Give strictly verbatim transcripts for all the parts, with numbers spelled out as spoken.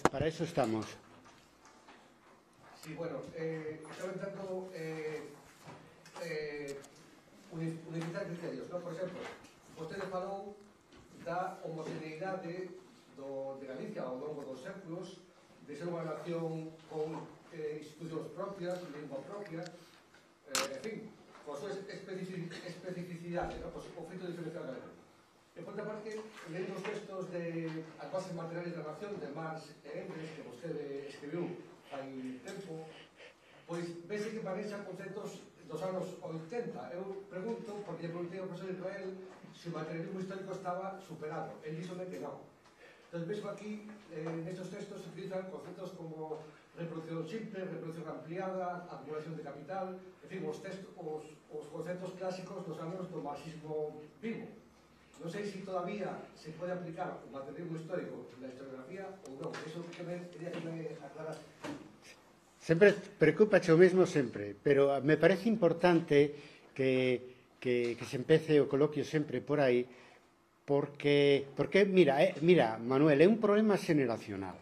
para eso estamos. Sí, bueno, eh, estaba intentando eh, eh, unificar criterios, ¿no? Por exemplo, vostede falou da homogeneidade do, de Galicia ao longo dos séculos, de ser unha nación con eh, institucións propias, lingua propia, eh, en fin, con súas especificidades, ¿no? Pues, o feito diferencial galego. E, por outra parte, lendo os textos de As bases materiales da nación, de Marx e Engels, que vostede escribiu hai tempo, pois vese que manexa conceptos dos anos oitenta. Eu pregunto, porque lle preguntei ao profesor Israel se o materialismo histórico estaba superado. El díxome que non. Entón, mesmo aquí, eh, nestes textos se utilizan conceptos como reproducción simple, reproducción ampliada, acumulación de capital, en fin, os, textos, os, os conceptos clásicos dos anos do marxismo vivo. Non sei se todavía se pode aplicar o materialismo histórico na historiografía ou non. Eso que me quería que me aclaras. Sempre preocupache o mesmo sempre, pero me parece importante que, que, que se empece o coloquio sempre por aí, porque, porque mira, eh, mira, Manuel, é un problema xeneracional.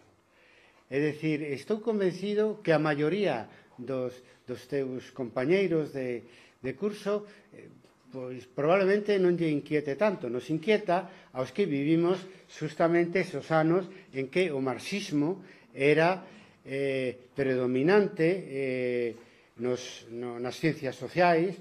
É dicir, estou convencido que a maioría dos, dos teus compañeiros de, de curso eh, pois probablemente non lle inquiete tanto, nos inquieta aos que vivimos justamente esos anos en que o marxismo era eh, predominante eh, nos, no, nas ciencias sociais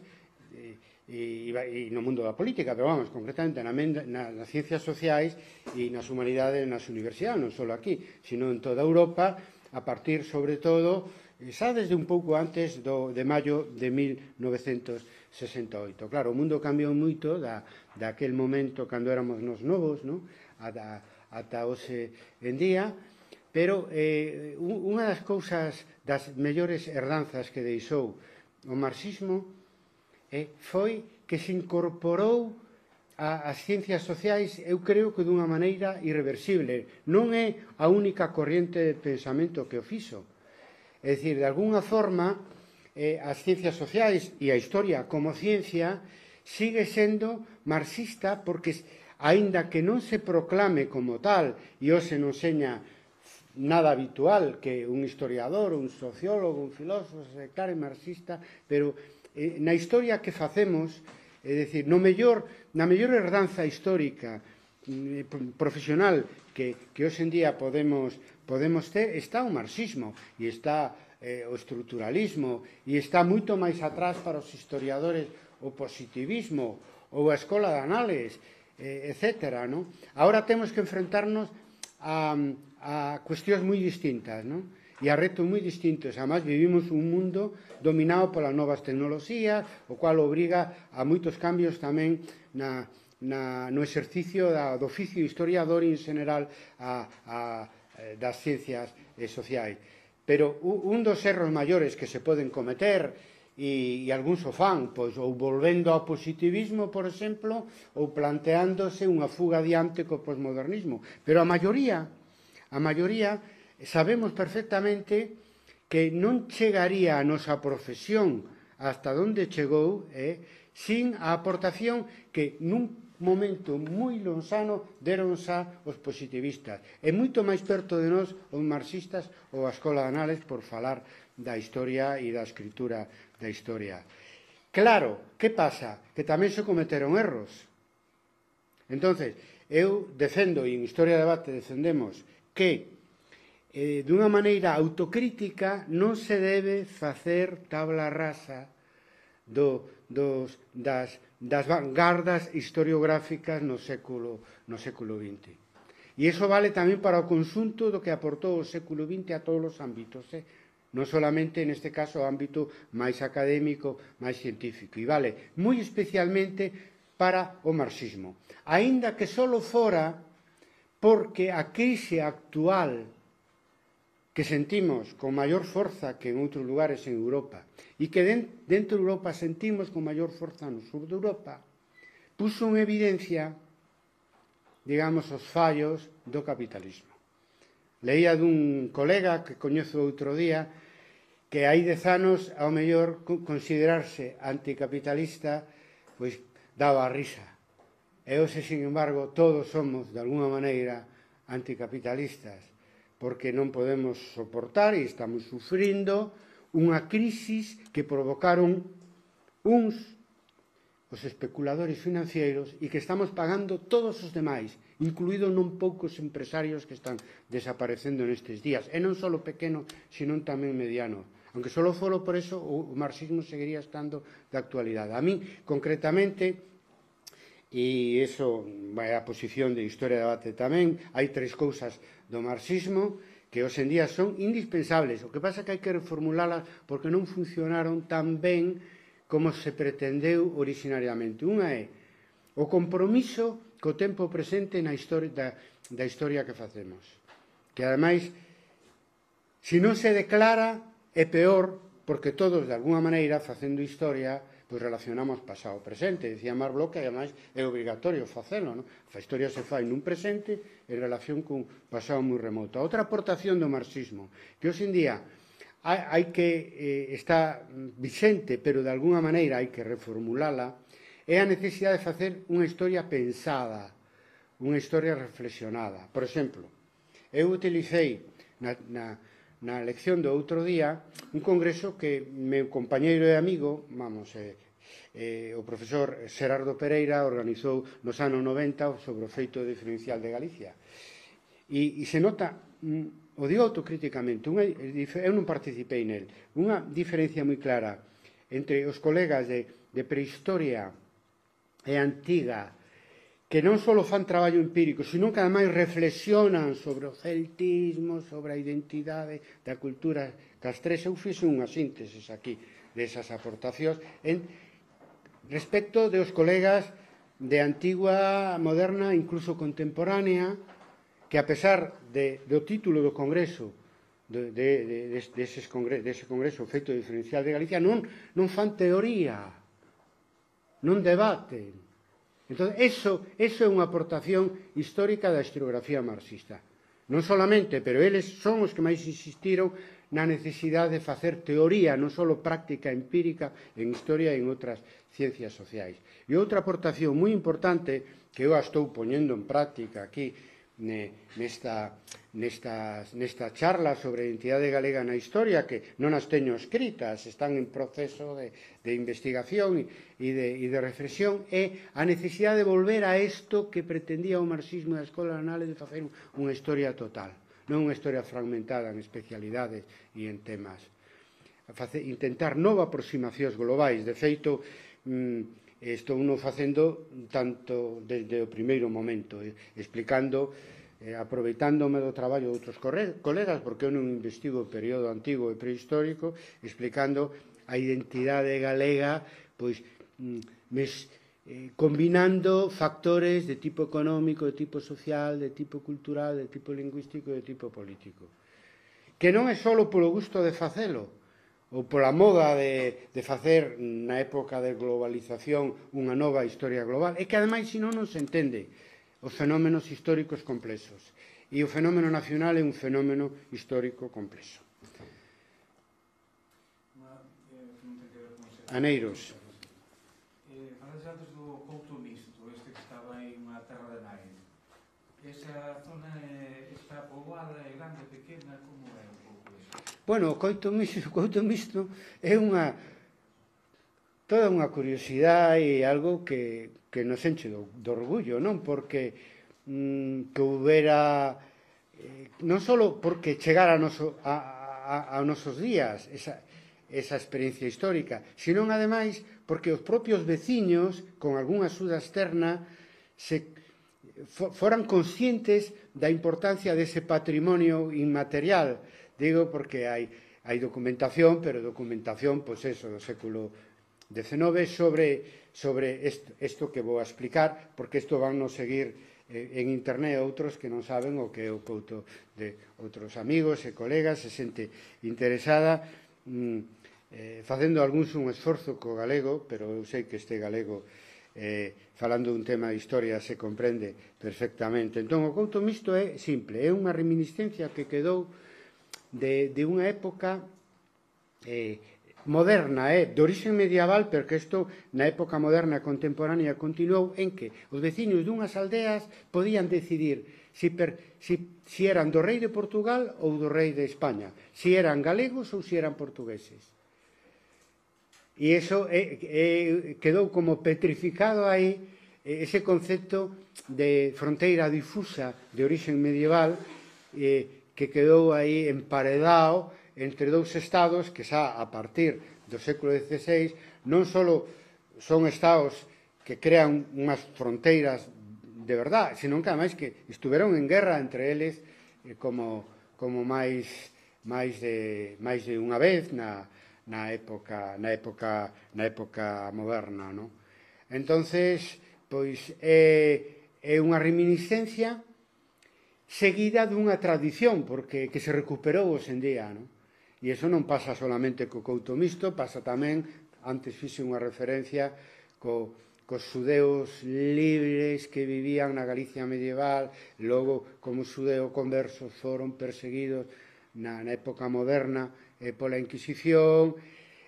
e, e, e no mundo da política, pero vamos, concretamente na, na, nas ciencias sociais e nas humanidades nas universidades, non só aquí, sino en toda Europa, a partir, sobre todo, xa desde un pouco antes do, de maio de mil novecentos sesenta e oito. Claro, o mundo cambiou moito da, daquel momento cando éramos nos novos, no? ata, ata hoxe en día, pero eh, unha das cousas, das mellores herdanzas que deixou o marxismo eh, foi que se incorporou a, as ciencias sociais, eu creo que dunha maneira irreversible. Non é a única corriente de pensamento que o fixo. É dicir, de alguna forma, eh, as ciencias sociais e a historia como ciencia sigue sendo marxista porque, aínda que non se proclame como tal, e hoxe non seña nada habitual que un historiador, un sociólogo, un filósofo se declare marxista, pero eh, na historia que facemos, é dicir, no mellor, na mellor herdanza histórica eh, profesional que, que hoxe en día podemos, podemos ter, está o marxismo e está eh, o estruturalismo e está moito máis atrás para os historiadores o positivismo ou a escola de anales, eh, etcétera. ¿No? Ahora temos que enfrentarnos a, a cuestións moi distintas, ¿no? E a retos moi distintos. Además, vivimos un mundo dominado polas novas tecnoloxías, o cual obriga a moitos cambios tamén na, na, no exercicio da, do oficio historiador e, en general, a, a, das ciencias eh, sociais. Pero un dos erros maiores que se poden cometer, e, e algúns o fan, pois, ou volvendo ao positivismo, por exemplo, ou planteándose unha fuga adiante co posmodernismo. Pero a maioría, a maioría, sabemos perfectamente que non chegaría a nosa profesión hasta onde chegou eh, sin a aportación que nun momento moi lonxano deron xa os positivistas. É moito máis perto de nós os marxistas ou a escola de anales por falar da historia e da escritura da historia. Claro, que pasa? Que tamén se cometeron erros. Entonces, eu defendo, e en Historia de Debate defendemos, que Eh, dunha maneira autocrítica non se debe facer tabla rasa do, dos, das, das vanguardas historiográficas no século, no século vinte. E iso vale tamén para o conxunto do que aportou o século vinte a todos os ámbitos, eh? Non solamente neste caso o ámbito máis académico, máis científico, e vale moi especialmente para o marxismo. Aínda que só fora porque a crise actual que sentimos con maior forza que en outros lugares en Europa e que dentro de Europa sentimos con maior forza no sur de Europa, puso en evidencia, digamos, os fallos do capitalismo. Leía dun colega que coñezo outro día que hai dez anos, ao mellor, considerarse anticapitalista, pois daba a risa. E hoxe, sin embargo, todos somos, de alguna maneira, anticapitalistas, porque non podemos soportar e estamos sufrindo unha crisis que provocaron uns, os especuladores financeiros, e que estamos pagando todos os demais, incluído non poucos empresarios que están desaparecendo nestes días, e non só pequeno, sino tamén mediano. Aunque só folo por eso, o marxismo seguiría estando de actualidade. A min, concretamente, e iso é a posición de Historia de Debate tamén, hai tres cousas do marxismo que hoxe en día son indispensables. O que pasa é que hai que reformulalas porque non funcionaron tan ben como se pretendeu originariamente. Unha é o compromiso co tempo presente na historia, da, da historia que facemos. Que, ademais, se non se declara, é peor, porque todos, de alguna maneira, facendo historia, pois relacionamos pasado e presente. Dicía Marc Bloch que, ademais, é obrigatorio facelo, non? A historia se fai nun presente en relación cun pasado moi remoto. A outra aportación do marxismo, que hoxe en día hai que eh, está vixente, pero de alguna maneira hai que reformulala, é a necesidade de facer unha historia pensada, unha historia reflexionada. Por exemplo, eu utilicei na, na, na lección do outro día un congreso que meu compañeiro e amigo, vamos, eh, eh, o profesor Xerardo Pereira organizou nos anos noventa sobre o feito diferencial de Galicia. E, e se nota, mm, o digo autocríticamente, unha, eu non participei nel, unha diferencia moi clara entre os colegas de, de prehistoria e antiga, que non só fan traballo empírico, sino que ademais reflexionan sobre o celtismo, sobre a identidade da cultura castrexa. Eu fixe unha síntesis aquí desas aportacións en, respecto dos colegas de antigua, moderna, incluso contemporánea, que a pesar de, do título do Congreso, de, de, de, de, deses congre, dese Congreso feito diferencial de Galicia, non, non fan teoría, non debaten. Entón, eso, eso é unha aportación histórica da historiografía marxista. Non solamente, pero eles son os que máis insistiron na necesidade de facer teoría, non só práctica empírica en historia e en outras ciencias sociais. E outra aportación moi importante, que eu a estou poñendo en práctica aquí, nesta, nesta, nesta charla sobre a identidade galega na historia, que non as teño escritas, están en proceso de, de investigación e de, e de reflexión, é a necesidade de volver a isto que pretendía o marxismo da Escola de Análise, de facer unha historia total, non unha historia fragmentada en especialidades e en temas. Facer, intentar nova aproximacións globais. De feito, mmm, estou non facendo tanto desde o primeiro momento, eh, explicando, eh, aproveitándome do traballo de outros colegas, porque eu non investigo o período antigo e prehistórico, explicando a identidade galega, pois, mes, eh, combinando factores de tipo económico, de tipo social, de tipo cultural, de tipo lingüístico e de tipo político. Que non é só polo gusto de facelo, ou pola moda de, de facer na época de globalización unha nova historia global, é que ademais senón non se entende os fenómenos históricos complexos. E o fenómeno nacional é un fenómeno histórico complexo. Aneiros. Falades antes do Couto Misto, este que estaba aí unha terra de nai. Esa zona está poboada, é grande, pequena, como é un pouco iso? Bueno, o Couto Misto, o Couto Misto é unha toda unha curiosidade e algo que, que nos enche do, do orgullo, non? Porque mm, que houbera eh, non só porque chegara a, noso, a, a, a nosos días esa, esa experiencia histórica, sino ademais porque os propios veciños, con algunha axuda externa, se foran conscientes da importancia dese patrimonio inmaterial. Digo porque hai, hai documentación, pero documentación, pois eso, do século decenove sobre, sobre isto, isto que vou a explicar, porque isto van nos seguir eh, en internet outros que non saben o que é o Couto de outros amigos e colegas, e xente interesada, mm, eh, facendo algúns un esforzo co galego, pero eu sei que este galego, eh, falando dun tema de historia, se comprende perfectamente. Entón, o Couto Misto é simple, é unha reminiscencia que quedou de, de unha época eh, moderna, eh, de origen medieval, porque isto na época moderna contemporánea continuou en que os veciños dunhas aldeas podían decidir si, per, si, si eran do rei de Portugal ou do rei de España, si eran galegos ou si eran portugueses. E iso é, é, quedou como petrificado aí ese concepto de fronteira difusa de origen medieval eh, que quedou aí emparedado entre dous estados que xa a partir do século dieciséis non só son estados que crean unhas fronteiras de verdad, senón que ademais que estuveron en guerra entre eles eh, como, como máis, máis, de, máis de unha vez na, na, época, na, época, na época moderna, non? Entonces, pois, é, é unha reminiscencia seguida dunha tradición, porque que se recuperou hoxe en día, non? E iso non pasa solamente co Couto Misto, pasa tamén, antes fixe unha referencia, co, cos xudeus libres que vivían na Galicia medieval, logo como xudeo conversos foron perseguidos na, na época moderna eh, pola Inquisición.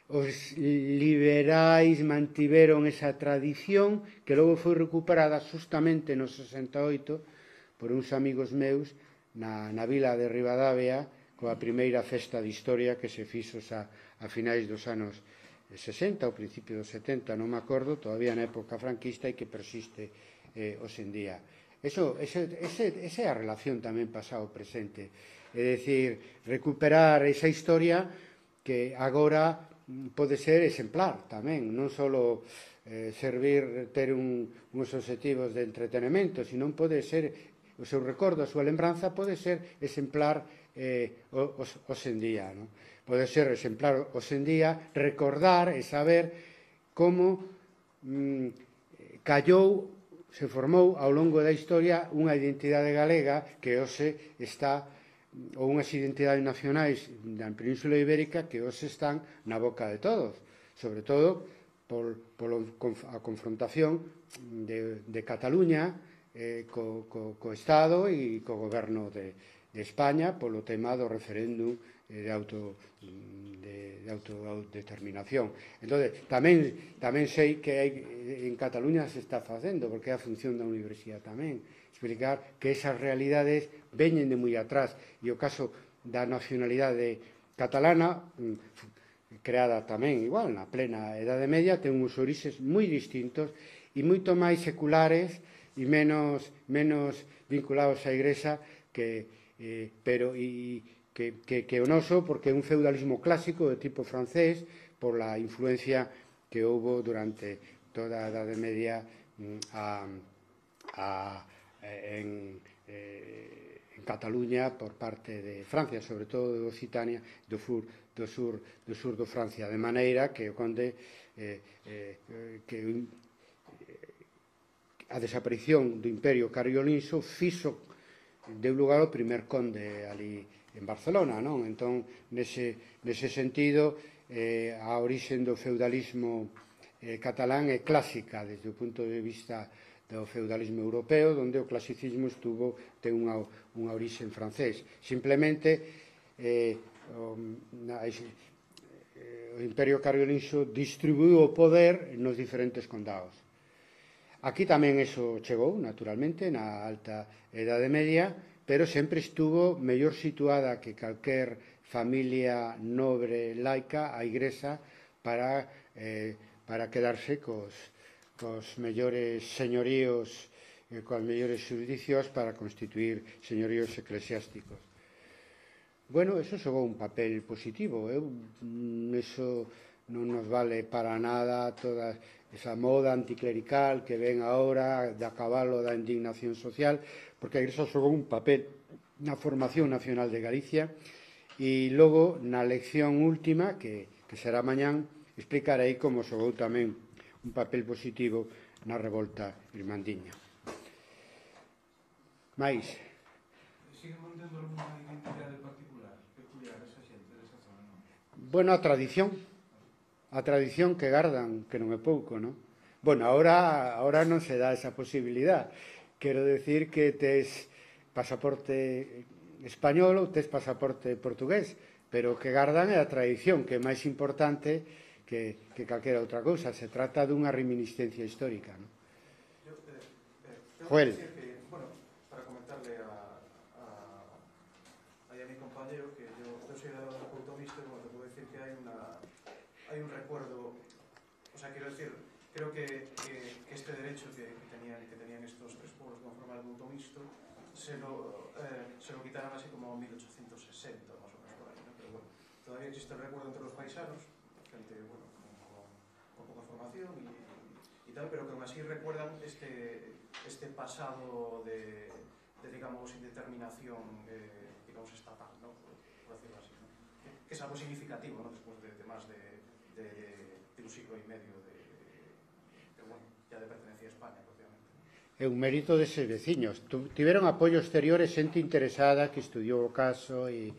Os liberais mantiveron esa tradición que logo foi recuperada justamente no sesenta e oito por uns amigos meus na, na vila de Ribadavia coa primeira festa de historia que se fixo a, a finais dos anos sesenta, ao principio dos setenta, non me acordo, todavía na época franquista e que persiste eh, hoxe en día. Eso, ese, ese, esa é a relación tamén pasado-presente. É dicir, recuperar esa historia que agora pode ser exemplar tamén, non só eh, servir ter un, uns objetivos de entretenimento, sino pode ser o seu recordo, a súa lembranza pode ser exemplar eh, hoxe en día, non? Pode ser exemplar hoxe en día, recordar e saber como mm, callou, se formou ao longo da historia unha identidade galega que hoxe está, ou unhas identidades nacionais da Península Ibérica que hoxe están na boca de todos, sobre todo por, por a confrontación de, de Cataluña eh, co, co, co Estado e co goberno de, de España polo tema do referéndum de, auto, de, de autodeterminación. Entón, tamén, tamén sei que hai, en Cataluña se está facendo, porque é a función da universidade tamén, explicar que esas realidades veñen de moi atrás, e o caso da nacionalidade catalana, creada tamén igual na plena Edade Media, ten uns orixes moi distintos e moito máis seculares e menos, menos vinculados á Igrexa que, eh, pero e que, que, que o noso, porque é un feudalismo clásico de tipo francés por la influencia que houve durante toda a Edade Media a, a, en, eh, en Cataluña por parte de Francia, sobre todo de Occitania, do sur do sur do sur do Francia, de maneira que o conde eh, eh, que a desaparición do Imperio Cariolinxo fixo deu lugar ao primer conde ali en Barcelona, non? Entón, nese, nese sentido, eh, a orixen do feudalismo eh, catalán é clásica desde o punto de vista do feudalismo europeo, onde o clasicismo estuvo, ten unha, unha orixen francés. Simplemente, eh, o, na, eh, o Imperio Cariolinxo distribuiu o poder nos diferentes condados. Aquí tamén eso chegou, naturalmente, na alta Edade Media, pero sempre estuvo mellor situada que calquer familia nobre laica a Igrexa para, eh, para quedarse cos, cos mellores señoríos, eh, coas mellores xurisdiccións para constituir señoríos eclesiásticos. Bueno, eso xogou un papel positivo, eu, eso non nos vale para nada toda esa moda anticlerical que ven agora de a cabalo da indignación social, porque a Igrexa xogou un papel na formación nacional de Galicia e logo na lección última, que, que será mañán, explicarei como xogou tamén un papel positivo na revolta irmandiña. Mais sigue mantendo alguna identidade particular, peculiar esa xente desa zona, non? Bueno, a tradición a tradición que gardan, que non é pouco, non? Bueno, ahora, ahora non se dá esa posibilidad. Quero decir que tes pasaporte español ou tes pasaporte portugués, pero que gardan é a tradición, que é máis importante que, que calquera outra cousa. Se trata dunha reminiscencia histórica, non? Yo, eh, eh, Joel. Que, bueno, para comentarle a creo que yo, yo soy de la culto mixto y bueno, te puedo decir que hay una hay un recuerdo, o sea, quiero decir, creo que, que, que este derecho que, que, tenían, que tenían estos tres pueblos con forma de culto mixto se lo, eh, se lo quitaron así como en mil ochocientos sesenta, más o menos por ahí, ¿no? Pero bueno, todavía existe el recuerdo entre los paisanos, gente, bueno, con, con, con poca formación y, y tal, pero que aún así recuerdan este, este pasado de, de, digamos, indeterminación, eh, digamos, estatal, ¿no? Por, por decirlo así, ¿no? Que, que es algo significativo, ¿no? Después de, de más de, de, de, de un siglo y medio de, de, bueno, ya de pertenencia a España, prácticamente. É un mérito deses veciños. Tiveron apoio exterior e xente interesada que estudiou o caso e,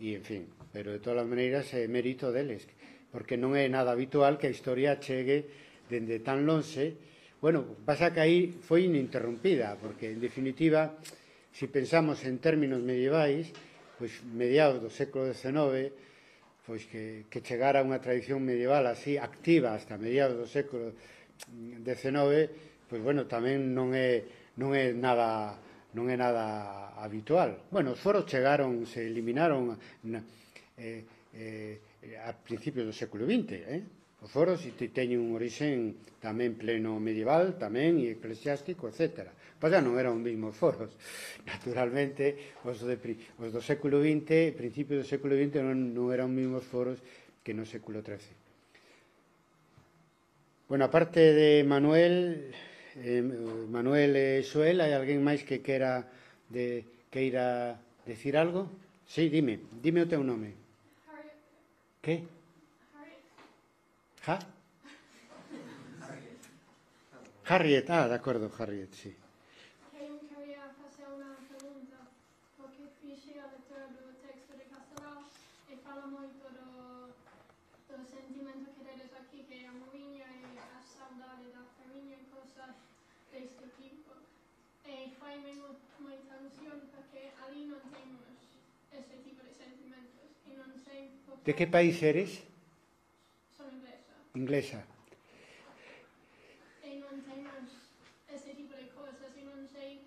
e en fin, pero de todas as maneiras é mérito deles, porque non é nada habitual que a historia chegue dende tan lonxe. Bueno, pasa que aí foi ininterrumpida, porque, en definitiva, se pensamos en términos medievais, pois mediados do século dezenove, pois que, que chegara unha tradición medieval así activa hasta mediados do século dezenove, pois bueno, tamén non é, non é nada non é nada habitual. Bueno, os foros chegaron, se eliminaron na, eh, eh, a principios do século vinte, eh? Os foros teñen un orixen tamén pleno medieval, tamén, e eclesiástico, etcétera. Pasa, non eran os mesmos foros. Naturalmente, os, de, os do século vinte, principios do século vinte, non, non eran os mesmos foros que no século trece. Bueno, aparte de Manuel, eh, Manuel e Xoel, hai alguén máis que queira de, queira decir algo? Sí, dime, dime o teu nome. Harriet. Que? Harriet. ¿Ja? Harriet, ah, de acordo, Harriet, sí. Eu quería facer unha pregunta, porque fixe a lectura do texto de Castelao e fala moito do, do sentimento que tedes aquí, que é a moviña e a saudade da famiña e cosas deste tipo. E faime moita ilusión porque ali non temos ese tipo de sentimentos e non sei por De que país eres? son inglesa. Inglesa. E non temos ese tipo de cosas e non sei,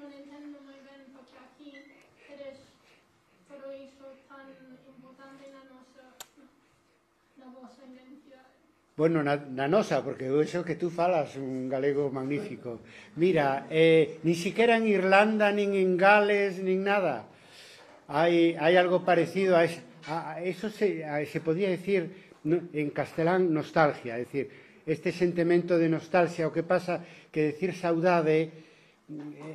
non entendo moi ben porque aquí eres todo iso tan importante na nosa, na vosa identidade. Bueno, na, na nosa, porque eso que tú falas un galego magnífico. Mira, eh, ni siquiera en Irlanda, nin en Gales, nin nada. Hai, hai algo parecido a, es, a, a eso se, a, se podía decir no, en castelán nostalgia, é dicir, este sentimento de nostalgia, o que pasa que decir saudade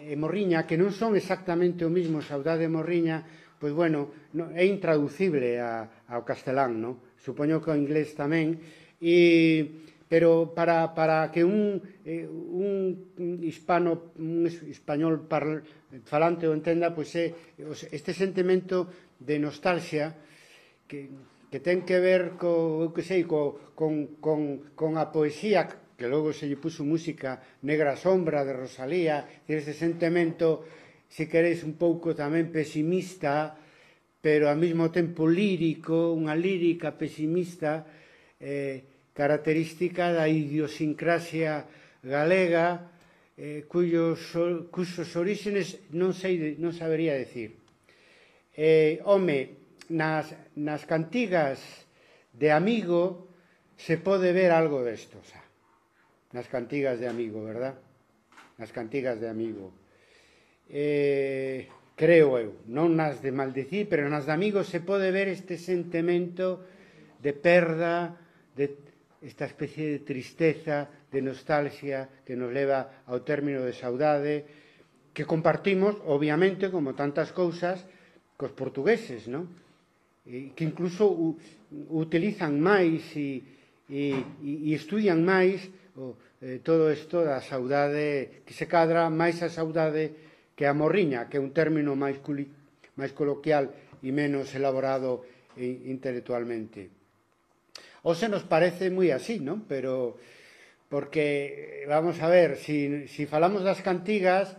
e morriña, que non son exactamente o mismo, saudade e morriña, pois bueno, no, é intraducible a, ao castelán, non? Supoño que o inglés tamén. E, pero para, para que un, eh, un hispano, un español parl, falante o entenda, pois é este sentimento de nostalgia que, que ten que ver co, eu que sei, co, con, con, con a poesía, que logo se lle puso música, Negra Sombra de Rosalía, este sentimento, se queréis, un pouco tamén pesimista, pero ao mesmo tempo lírico, unha lírica pesimista, eh, característica da idiosincrasia galega, eh, cuyos, cuyos orígenes non sei, non sabería decir. Eh, home, nas, nas cantigas de Amigo se pode ver algo desto, xa. Nas cantigas de Amigo, verdad? Nas cantigas de Amigo. Eh, creo eu, non nas de Maldecir, pero nas de Amigo se pode ver este sentimento de perda, de esta especie de tristeza, de nostalgia que nos leva ao término de saudade, que compartimos, obviamente, como tantas cousas, cos portugueses, non? E que incluso u, utilizan máis e, e, e estudian máis o, eh, todo isto da saudade, que se cadra máis a saudade que a morriña, que é un término máis, culi, máis coloquial e menos elaborado e, intelectualmente. O se nos parece moi así, non? Pero, porque, vamos a ver, si, si falamos das cantigas,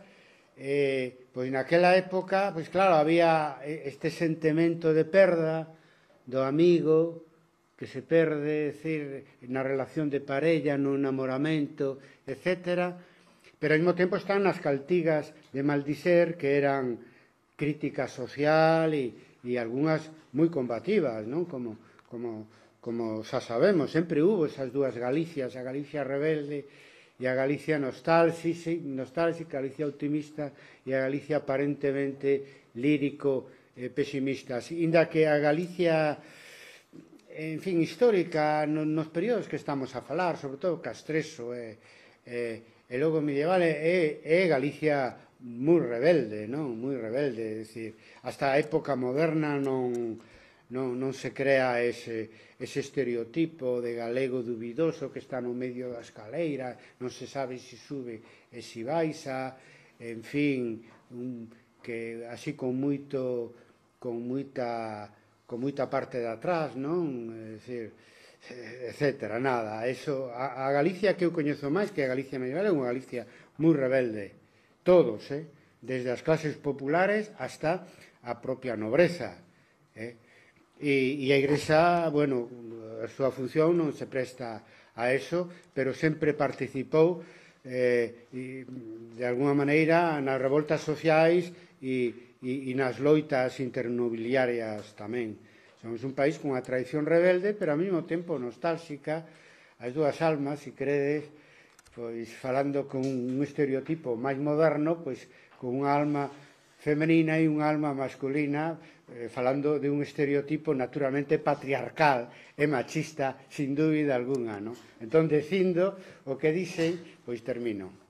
eh, pois naquela época, pois claro, había este sentimento de perda do amigo que se perde, decir, na relación de parella, no enamoramento, etcétera. Pero ao mesmo tempo están nas cantigas de Maldiser, que eran crítica social e, e algunhas moi combativas, non? Como, como, como xa sabemos, sempre hubo esas dúas Galicias, a Galicia rebelde e a Galicia nostálxica, nostálxica, a Galicia optimista e a Galicia aparentemente lírico e pesimista. Inda que a Galicia, en fin, histórica, nos períodos que estamos a falar, sobre todo Castreso e, e, e logo medieval, é, é Galicia moi rebelde, non? Moi rebelde, é dicir, hasta a época moderna non, non, non se crea ese, ese estereotipo de galego dubidoso que está no medio da escaleira, non se sabe se sube e se baixa, en fin, un, que así con moito, con moita, con moita parte de atrás, non? É dicir, etcétera, nada, eso, a, a Galicia que eu coñezo máis que a Galicia medieval é unha Galicia moi rebelde. Todos, eh? Desde as clases populares hasta a propia nobreza. Eh? E, e a Igrexa, bueno, a súa función non se presta a eso, pero sempre participou eh, e, de alguna maneira nas revoltas sociais e, e, e nas loitas internobiliarias tamén. Somos un país con unha tradición rebelde, pero ao mesmo tempo nostálxica, as dúas almas, se credes, pois falando con un estereotipo máis moderno, pois con unha alma femenina e unha alma masculina, eh, falando de un estereotipo naturalmente patriarcal e machista, sin dúbida alguna, non? Entón, dicindo o que dixen, pois termino.